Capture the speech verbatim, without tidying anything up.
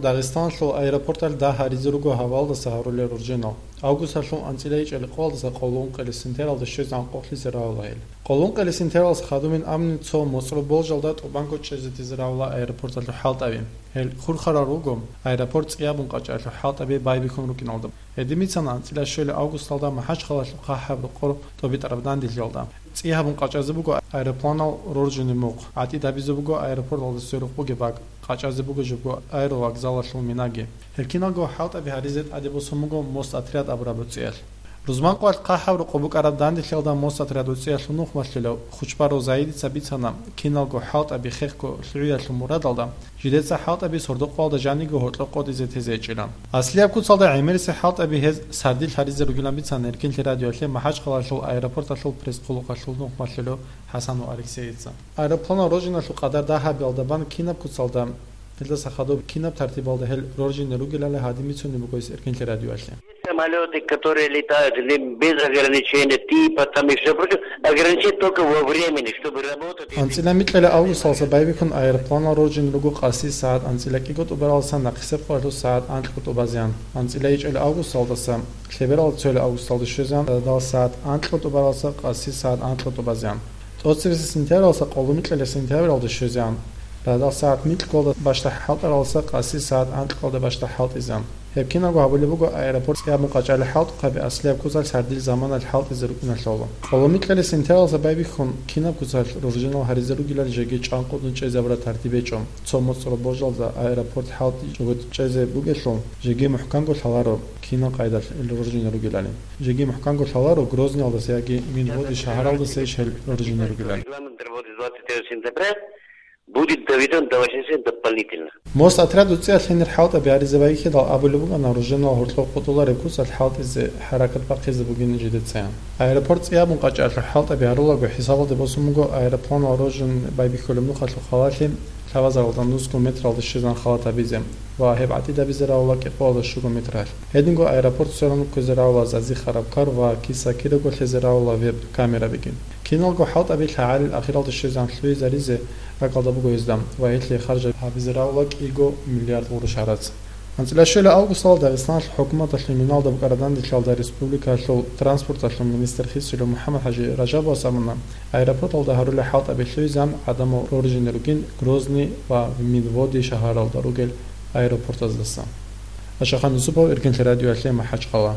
Дагъистаналъул аэропорталъ дагь гьаризе руго гьавалдаса гьарулел роржинал. Августалъул анцӀила ичӀел къоялдаса къоло ункъоялъе сентябралда щвезегӀан къокълъизе равала гьел. Къоло ункъоялъе сентябралъ хадубин амни цо моцӀрол болжалда тӀубанго чӀезе тезе равала аэропорталъул хӀалтӀаби. Гьел хурхарал руго аэропорт цӀиябун къачӀалъул хӀалтӀаби байбихьун рукӀиналда. Гьедин бицана анцӀила щвелеб августалда МахӀачхъалалъул хъахӀаб рокъор тӀоби тӀараб дандилъиялда. ЦӀи гьабун къачӀазе буго аэропланал роржинаб мухъ, гӀатӀид гьабизе буго аэропорталда сверухъ бугеб бакӀ, къачӀазе бугеб жо буго аэровокзалалъул минаги. Гьел киналго хӀалтӀаби гьаризе тӀаде босун буго Мосотряд абураб гӀуцӀиялъ. Рузманкъоялъ хъахӀаб рокъоб букӀараб дандилъиялда Мосотряд гӀуцӀиялъул нухмалъулев Хучбаров Заидица бицана, киналго хӀалтӀаби хехго лъугӀиялъул мурадалда, жидеца хӀалтӀаби сордо-къоялда жаниго гьоркьоб къотӀизе тезе гьечӀила. Аслияб куцалда гӀемерисеб хӀалтӀаби гьез сардилъ гьаризе ругилан бицана Эркинлъи радиоялъе МахӀачхъалалъул аэропорталъул пресс-хъулухъалъул нухмалъулев ХӀасанов Алексейица. Аэропланал роржиналъул къадар дагь гьабиялда бан кинаб куцалда, гьелдаса хадуб кинаб тартибалда гьел роржине ругелали гьадин бицунеб буго гьес Эркинлъи радиоялъе. Самолеты, которые летают не без ограничения типа, там и все прочее, ограничить только во времени, чтобы работать. АнцӀила микьила августалдаса байбихьун аэропланал роржин руго къаси сагӀат анцӀила кӀиго тӀубаралдаса нахъисеб къоялъул сагӀат анкьго тӀубазеян. АнцӀила ичӀила августалдаса лъебералда цоял августалда щвезеян радал сагӀат анкьго тӀубаралдаса къаси сагӀат анкьго тӀубазеян. ТӀоцебесеб сентябралдаса къоло микьила сентябралда щвезеян радал сагӀат микьгоялда бащдаб хӀалтӀаралдаса къаси сагӀат анкьгоялда бащдаб хӀалтӀизеян. Гьеб кинабго гьабулеб буго аэропорт цӀиябун къачӀалел хӀалтӀухъаби аслияб куцалъ сардил заманалъ хӀалтӀизе рукӀиналъул. Къоло микьила сентябралдаса байбихьун кинаб куцалъ роржинал гьаризе ругелали жеги чӀванкъудун чӀезабураб тартиб гьечӀо. Цо моцӀрол болжалда аэропорт хӀалтӀичӀого чӀезе бугелъул, жеги мухӀканго лъаларо кинал къайдалъ роржине ругелали. Жеги мухӀканго лъаларо Грозниялдаса яги Минводы шагьаралдаса иш гьел роржине ругелали. Регламент работы двадцать первого сентября будет доведен до восьмидесяти дополнительно. Мосотряд гӀуцӀиялъ гьенир хӀалтӀаби гьаризе байбихьидал абулеб букӀана роржинал гьоркьоб къотӀулареб куцалъ хӀалтӀизе хӀаракат бахъизе бугин жидецаян. Аэропорт цӀиябун къачӀалъул хӀалтӀаби гьарулаго хӀисабалде босун буго аэропланал роржин байбихьулеб нухалъул халалъи лъабазаралда нусго метралда щвезан халат гьабизе ва гьеб гӀатӀид гьабизе равала кӀикъоялда щуго метралъ. Гьединго аэропорт сверун кквезе равала Зази Харабкар ва Киса Кираго лъезе равала веб-камерабиги. Киналго хӀалтӀаби лъагӀалил ахиралда щвезан лъугьизаризе ракӀалда буго гьезда ва гьелъие харж гьабизе равала кӀиго миллиард гъурущ гьарац. АнцӀила щвелеб августалда Дагъистаналъул хӀукуматалъул миналда букӀараб дандилъиялда республикалъул транспорталъул министр Хисулев МухӀаммад-ХӀажи Ражабовас абуна, аэропорталда гьарулел хӀалтӀаби лъугьизеян гӀадамал роржине ругин Грозный ва Минводы шагьаралда ругел аэропортаздаса. Ашахан Юсупов, Эркинлъи радиоялъе, МахӀачхъала.